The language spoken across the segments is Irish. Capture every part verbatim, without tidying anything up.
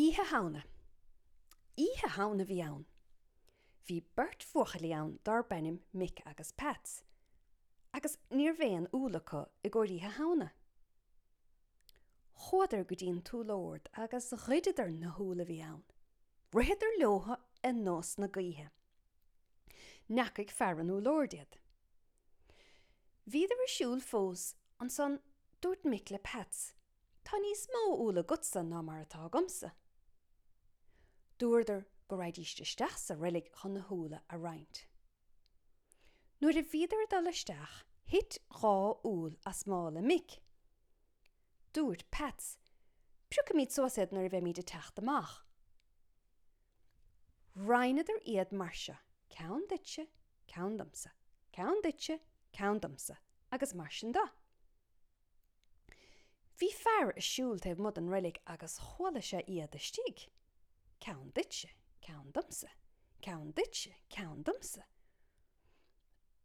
Oíche Shamhna. Oíche Shamhna a bhí ann. Bhí beirt bhuachaillí ann darb ainm Mick agus Peats, agus ní raibh aon úll acu i gcomhair Oíche Shamhna. Chuadar go dtí an t-úllord agus ghoideadar na húlla a bhí ann. Ritheadar leo ar nós na gaoithe. N'fheacaigh fear an úlloird iad. Bhíodar ag siúl fós, ansan dúirt Mick le Peats, Tá níos mó úll agatsa ná mar atá agamsa. Dúradar go raghaidís isteach sa reilig chun na húlla a roinnt. Nuair a bhíodar ag dul isteach, thit dhá úll as mála Mick. Dúirt Peats, Piocfaimid suas iad nuair a bheimid ag teacht amach. Roinneadar iad mar seo, ceann duitse, ceann domsa, ceann duitse, ceann domsa, agus mar sin de. Bhí fear ag siúl taobh amuigh den reilig agus chuala sé iad istigh. Ceann duitse, ceann domsa, ceann duitse, ceann domsa.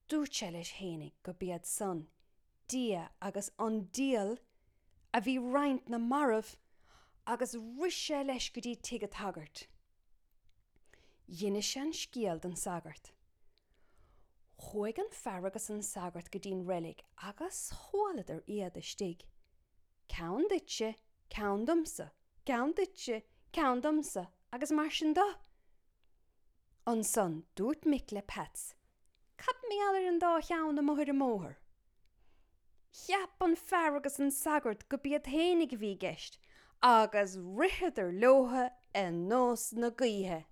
Dúirt sé leis fhéinig go b'iad san, Dia agus an diabhal a bhí roinnt na marbh agus rith sé leis go dtí tigh an tsagairt. D'inis sé an scéal don sagart. Chuaigh an fear agus an sagart go dtí'n reilig agus chualadar iad istigh. Ceann duitse, ceann domsa, ceann duitse, ceann domsa, agus mar sin de. Ansan dúirt Mick le Peats, Cad mar gheall ar an dá cheann amuigh ar an mbóthar? Cheap an fear agus an sagart go b'iad fhéinig a bhí i gceist, agus ritheadar leo ar nós na gaoithe.